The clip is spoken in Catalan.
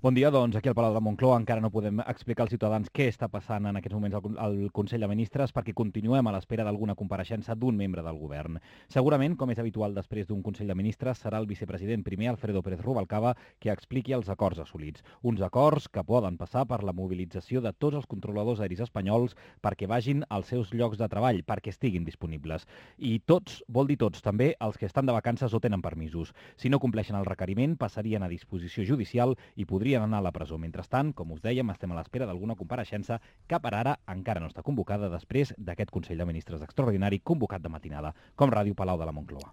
Bon dia, doncs aquí al Palau de la Moncloa encara no podem explicar als ciutadans què està passant en aquests moments al Consell de Ministres perquè continuem a l'espera d'alguna compareixença d'un membre del govern. Segurament, com és habitual després d'un Consell de Ministres, serà el vicepresident primer, Alfredo Pérez Rubalcaba, qui expliqui els acords assolits. Uns acords que poden passar per la mobilització de tots els controladors aeris espanyols perquè vagin als seus llocs de treball, perquè estiguin disponibles. I tots, vol dir tots, també els que estan de vacances o tenen permisos. Si no compleixen el requeriment, passarien a disposició judicial i podrien anar a la presó. Mentrestant, com us dèiem, estem a l'espera d'alguna compareixença que per ara encara no està convocada després d'aquest Consell de Ministres extraordinari convocat de matinada, com Ràdio Palau de la Moncloa.